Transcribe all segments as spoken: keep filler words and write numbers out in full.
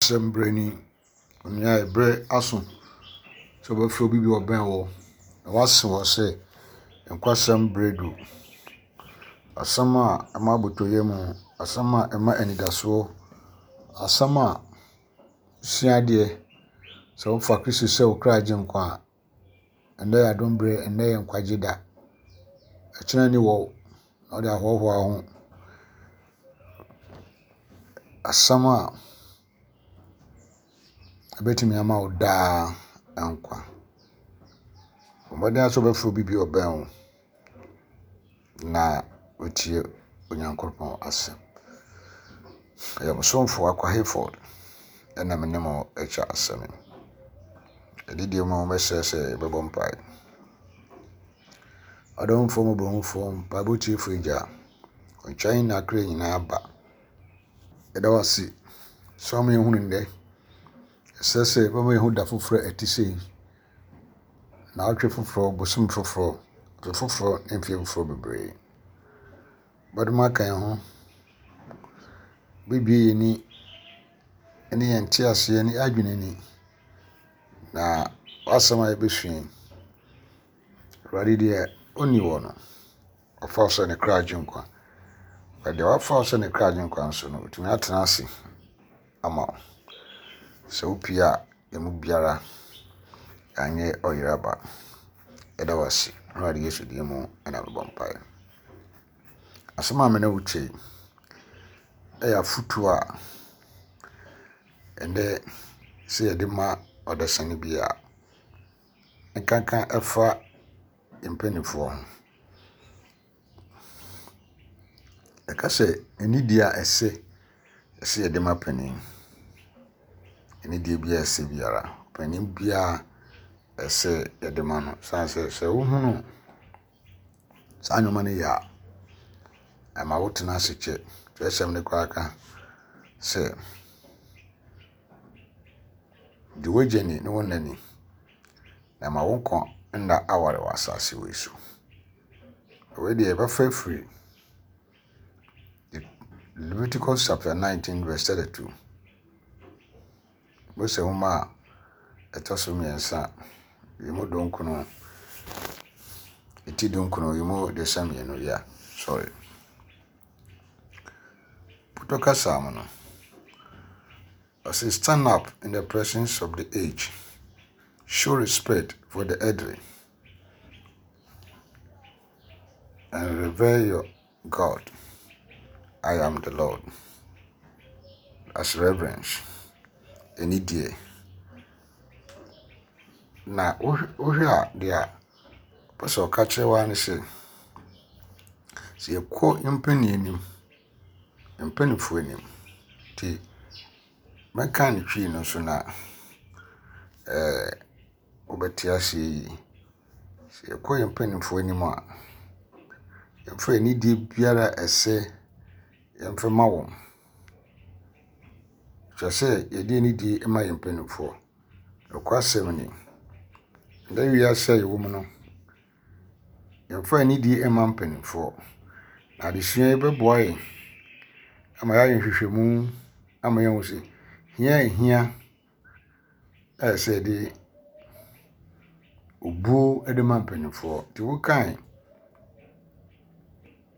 Asɛm berɛ ni, onua berɛ aso sɛ wobɛfrɛ obi bi a ɔbɛn wo na woase wɔ sɛ nkwasɛm berɛ du. Asɛm a ɛma abotɔyam, asɛm a ɛma anidasoɔ, asɛm a sua adeɛ sɛ wofa Kristo sɛ wo kra agyenkwa a, ɛnnɛ yɛ adom berɛ, ɛnnɛ yɛ nkwagye da. Ɛkyena ni wɔ na wode ahoahoa wo ho. Asɛm a ɛbɛtumi ama wo daa nkwa. Bɔ mmɔden ara sɛ wobɛfrɛ obi bi a ɔbɛn wo na watie Onyankopɔn asɛm. Ɛyɛ mo somfo Akwa Hayford ɛna me ne mo atwa asɛm yi. Adidie mu mɛsrɛ sɛ yɛbɛbɔ mpae. Ɔdomfoɔ mmɔborɔhufoɔ, mpaebɔ tiefoɔ Agya, wo nkyɛn na akra nyinaa ba. Yɛda wo ase sɛ woama yɛhunu nnɛ. Ɛsɛ sɛ wobɛma yɛhu da foforɔ a ɛte sei. Naawɔtwe foforɔ, bosom foforɔ, afe foforɔ ne mfeɛ foforɔ bebree. Bɛdom aka yɛn ho. Bɛbue yɛn ani ne yɛn nteaseɛ ne yɛn adwene ani. Na w'asɛm a yɛbɛsua yi, Awurade deɛ ɔnni wɔ no, ɔfa wo sɛ ne kra agyenkwa. Na deɛ wafa wo sɛ ne kra agyenkwa nso no, ɔtumi atena ase ama wo. Sɛ wopie a, yɛn mu biara anyɛ ɔyeraba. Yɛda wo ase. Awurade Yesu din mu ɛna mebɔ mpaeɛ. Asɛm a me ne wo kyɛ yi, ɛyɛ afotuo a ɛnnɛ sɛ yɛde ma ɔdasani bi a, nkanka ɛfa mpanimfoɔ ho. Yɛka sɛ anidie a ɛsɛ sɛ yɛde ma panin. Anidie biara a ɛsɛ biara, panin biara ɛsɛ yɛde ma no. Ɛsiane sɛ sɛ wohunu saa nneɛma no yɛ a, ɛma wotena ase kyɛ. Twerɛsɛm no koraa ka sɛ di w'agya ni ne wo na ni, na ɛma wo nkwa nna aware wɔ asase wei so. Wei deɛ yɛbɛfa afiri Leviticus chapter nineteen verse thirty-two. Mose nwoma a ɛtɔ so mmiɛnsa, yi mu dunkron, eti dunkron, yi mu aduasa mmienu, yeah, sorry. Putɔ kasa mu no, ɔse stand up in the presence of the aged, show respect for the elderly, and revere your God. I am the Lord. As reverence. Anidie. Na wohwɛ a deɛ a ɔpɛ sɛ ɔka kyerɛ wo ara ne sɛ, sɛ yɛkɔ mpanin anim, mpanimfoɔ anim, nti mɛka ne Twi no so na ɛɛ wobɛte aseɛ yie. Sɛ yɛkɔ yɛn mpanimfoɔ anim a, yɛmfa anidie biara a ɛsɛ yɛmfa ma wɔn. Kyerɛ sɛ yɛde anidie ma yɛn mpanimfoɔ. Nokwasɛm ni, ndɛ wiase a yɛwɔ mu no, yɛmfa anidie mma mpanimfoɔ. Na adesua yi bɛboa yɛn ama yɛayɛ nhwehwɛmu ama yɛahu sɛ hia a ehia a ɛsɛ sɛ yɛde obuo de ma mpanimfoɔ. Nti wokan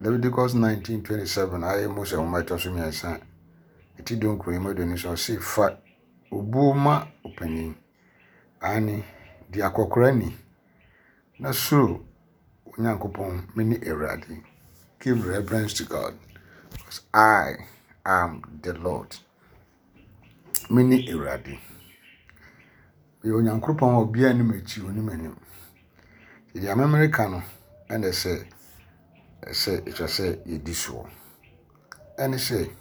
Leviticus nineteen twenty-seven a ɛyɛ Mose nwoma a ɛtɔ so mmiɛnsa, eti dunkron yi mu aduonu nson, ɔse fa obuo ma ɔpanin. Aane, di akɔkora ni na suro Onyankopɔn, me ne Awurade. Give reverence to God because I am the Lord. Me ne Awurade. Meyɛ Onyankopɔn a obiara nnim akyi, onim anim. Deɛ amemmerɛ no ɛna sɛ ɛsɛ ɛtwa sɛ yɛdi soɔ. Ɛne sɛ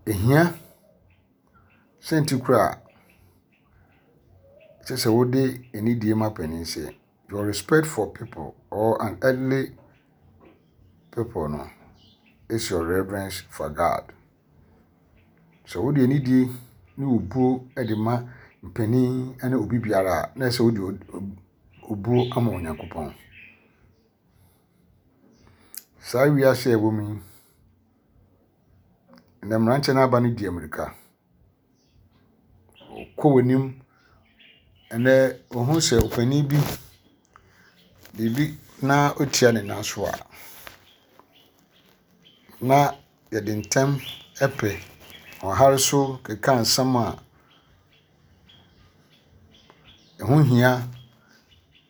ehia sɛ nti koraa kyerɛ sɛ wode anidie ma panin sɛ your respect for people or an elderly people no is your reverence for God. Sɛ wode anidie ne obuo de ma mpanin ne obi biara a, na ɛsɛ sɛ wode obuo ama Onyankopɔn. Saa wiase a ɛwɔ mu yi, Ɛnnɛ mmeranteɛ no aba no di ammirika. Wokɔ w'anim, ɛnnɛ wohu sɛ ɔpanin bi biribi na ɔtia ne nan so a, na yɛde ntɛm pɛ ɔhare so keka nsɛm a ɛho hia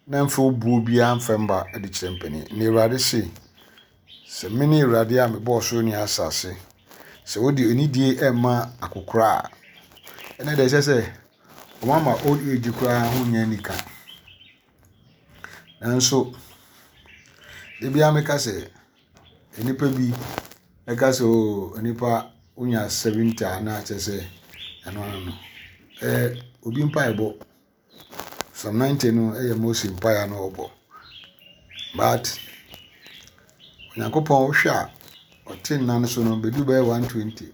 na mfa obuo biara mfa mma de kyerɛ mpanin. Na Awurade se, sɛ mene Awurade a mebɔɔ soro ne asase, sɛ wode anidie rema akɔkoraa a, ɛnɛ deɛ ɛkyerɛ sɛ wɔama old age koraa ho nyɛ anika. Nanso, da biara meka sɛ, nnipa bi ɛka sɛ oo nipa wonya seventy a na kyerɛ sɛ ɛno ano no. Ɛyɛ obi mpaebɔ. Psalm ninety no yɛ Mose mpaeɛ a na ɔbɔ. But Onyankopɔn wohwɛ a ɔte nna no so no bɛdu bɛyɛ one twenty.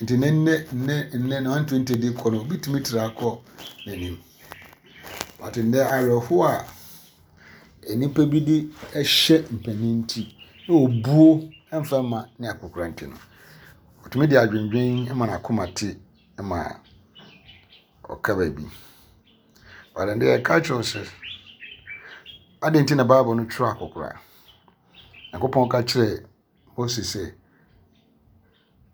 Nti ne nnɛ nnɛ nnɛ no one twenty de kɔ no obi tumi tra kɔ n'anim. But nnɛ awerɛhoɔ a nnipa bi de hyɛ mpanin nti na obuo mfa mma ne akɔkora nti no, ɔtumi de adwendwen ma n'akoma te ma ɔka baabi. But ɛnnɛ yɛka kyerɛ wo sɛ, adɛn nti na Bible no twerɛ akɔkora? Nyankopɔn ka kyerɛɛ Mose sɛ,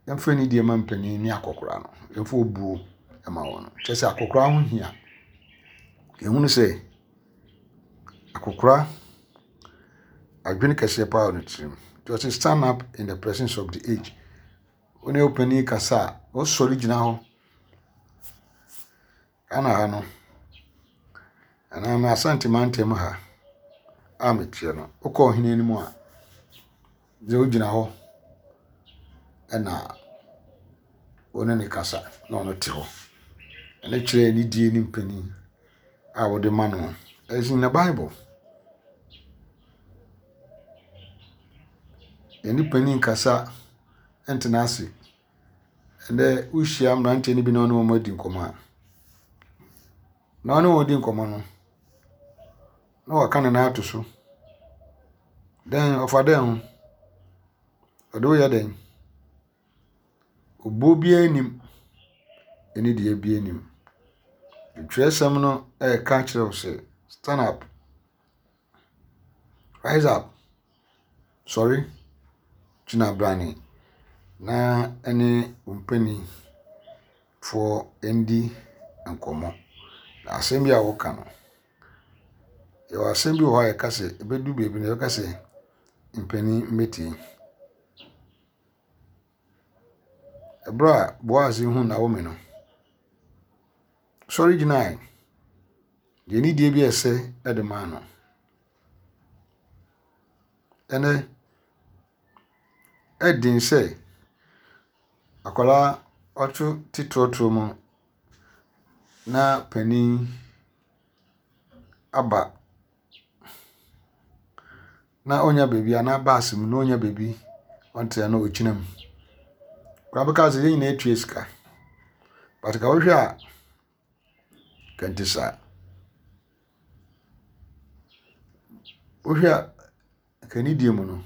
yɛmfa anidie ma mpanin ne akɔkora no, yɛmfa obuo ma wɔn. Kyerɛ sɛ akɔkora ho hia. Yɛhunu sɛ akɔkora adwene kɛseɛ paa wɔ ne tirim. Nti ɔse stand up in the presence of the age. Wo ne wo panin kasa a, wosɔre gyina hɔ. Ghana ha no, anaa me Asante mantam ha a meteɛ no, wokɔ ɔhene anim a, gye wogyina hɔ ɛna wo ne ne kasa na ɔno te hɔ. Ɛno kyerɛ anidie ne mpanin a wode ma no. It's in the Bible. Yɛne panin kasa ntena ase. Ɛnnɛ wohyia mmeranteɛ no bi na ɔne wɔn adi nkɔmmɔ a, na ɔne wɔn di nkɔmmɔ no, na waka ne nan ato so. Dɛn ɔfa dɛn ho? Ɔde woyɛ dɛn? Obuo biara nnim, anidie biara nnim. Twerɛsɛm no ɛreka kyerɛ wo sɛ stand up, rise up, sɔre, gyina brane na ɛne wo mpanimfoɔ ndi nkɔmmɔ. Na asɛm bi a woka no, yɛwɔ asɛm bi wɔ hɔ a yɛka sɛ ɛbɛdu baabi no yɛbɛka sɛ mpanin mmɛtie. Ɛberɛ a Boaz hu Naomi no, sɔre gyinae de anidie bi a ɛsɛ de maa no. Ɛnɛ, ɛden sɛ akwadaa ɔto te trɔtrɔ mu na panin aba na ɔnya baabi anaa bus mu na ɔnya baabi ɔnte na ɔgyina mu. Koraa bɛka sɛ yɛn nyinaa tua sika. But ka wohwɛ a, kɛnte saa. Wohwɛ a, ka anidie mu no,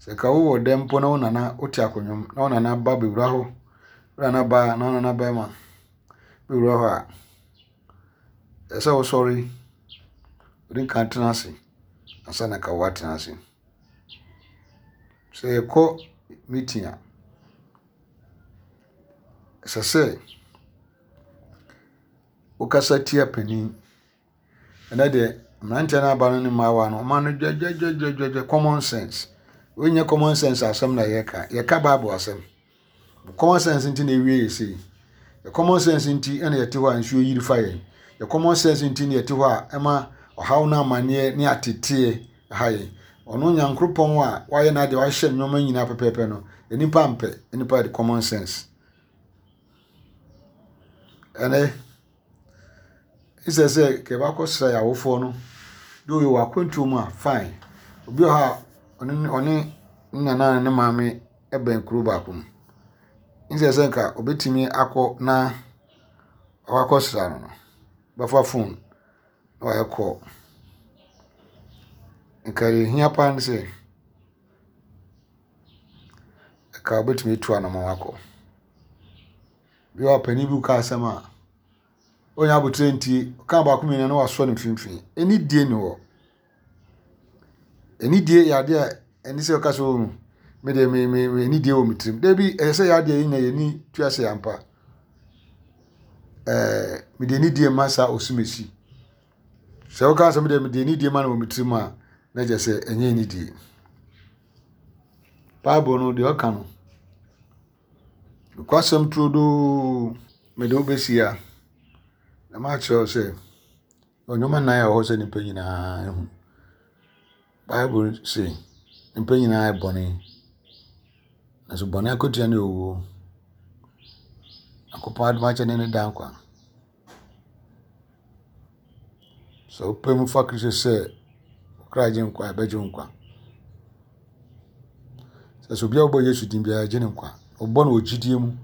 sɛ ka wowɔ dɛm mpo na wo nana wote akonnwa mu na wo nana ba bɛwura hɔ, wo nana baa na wo nana bɛrima bɛwura hɔ a, ɛsɛ sɛ wosɔre, wode nka tena ase ansa na ka woatena ase. Sɛ yɛkɔ meeting a, ɛsɛ sɛ wokasa tia panin. Ɛnɛ deɛ mmeranteɛ no aba no ne mmaayewa no, ɔma no dwadwadwadwadwa common sense. Wei nyɛ common sense asɛm na yɛreka, yɛka Bible asɛm. Common sense nti na ewie yɛ sei. Yɛ common sense nti na yɛte hɔ a nsuo yiri fa yɛn. Yɛ common sense nti na yɛte hɔ a ɛma ɔhaw no amanneɛ ne ateteɛ ha yɛn. Ɔno Nyankoropɔn a wayɛ n'adeɛ wahyɛ nneɛma nyinaa pɛpɛɛpɛ no, nnipa mpɛ, nnipa de common sense. Ɛnɛ, ɛsɛ sɛ kɛbɛakɔsra yɛn awofoɔ no, de oyɛ wɔ akwantuo mu a fine. Obi wɔ hɔ a ɔne ɔne ne nana ne ne maame bɛn kuro baako mu. Nsɛ sɛ nka obetumi akɔ na wakɔsra no no, bɛfa phone na wayɛ call. Nka deɛ ehia paa ne sɛ, Anka wobɛtumi atu anamɔn akɔ. Bi wɔ hɔ a panin bi ka asɛm a, ɔnya abotire ntie, ɔka baako mmienu na wasɔ ne mfimfini. Anidie nni hɔ. Anidie yɛ adeɛ a ɛne sɛ ɔka sɛ oh, me deɛ me me me anidie wɔ me tirim. Dabi, ɛyɛ sɛ yɛ adeɛ yi na yɛni tua sɛ ampa. Ɛɛ mede anidie ma saa osumesi. Sɛ woka sɛ mede mede anidie ma no wɔ me tirim a, na kyerɛ sɛ ɛnyɛ anidie. Bible no deɛ ɔka no, nokwasɛm turodoo mede wo bɛsi ha na makyerɛ wo sɛ nneɛma nnan a ɛwɔ hɔ sɛ nnipa nyinaa hu. Bible se nnipa nyinaa yɛ bɔne, nanso bɔne akatua ne owuo. Nyankopɔn adom akyɛ ne ne daa nkwa. Sɛ wopɛ mu fa Kristo sɛ wo kra gye nkwa a, ɛbɛgye wo nkwa. Sɛ sɛ obi a ɔbɔ Yesu din biara gye ne nkwa. Ɔbɔ no wɔ gyidie mu.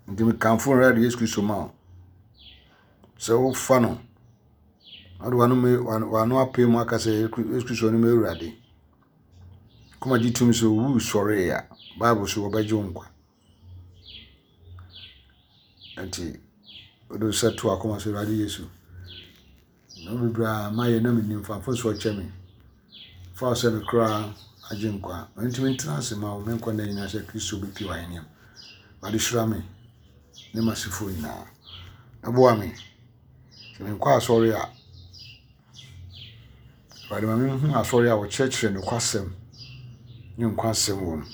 Nti mekamfo Awurade Yesu Kristo ma wo. Sɛ wofa no, na wode w'ano w'ano apɛ mu aka sɛ Yesu Kristo ne m'Awurade. Kɔma gye tom sɛ owu sɔree a, Bible so wɔbɛgye wo nkwa. Nti wode wo nsa to akoma so Awurade Yesu. Nneɛma bebree a mayɛ na mennim fa mfomsoɔ kyɛ me. Fa wo sɛ me koraa agye nkwa. Mentumi ntena ase ma wo me nkwa nna nyinaa sɛ Kristo bɛpie w'ahenni mu. Awurade hyira me ne m'asefoɔ nyinaa. Ɛboa me. Sɛ menkɔ asɔre a, Awurade ma menhu asɔre a wɔkyerɛkyerɛ nokwasɛm ne nkwa asɛm wɔ mu.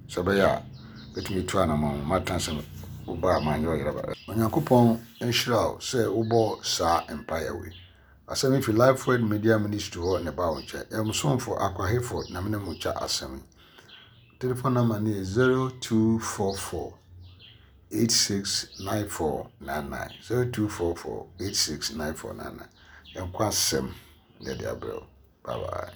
Sɛ ɛbɛyɛ a bɛtumi atu anammɔn matena sɛ woba a manyɛ ɔyeraba. Onyankopɔn nhyira wo sɛ wobɔ saa mpaeɛ wei. Asɛm yi fi Life Word Media Ministry hɔ na ɛba wo nkyɛn. Ɛyɛ mo somfo Akwa Hayford na mene mo kyɛ asɛm yi. Telephone number no yɛ zero two four four eight six nine four nine nine zero two four four eight six nine four nine nine. Yɛnkɔ asɛm na yɛde abrɛ wo. Bye bye.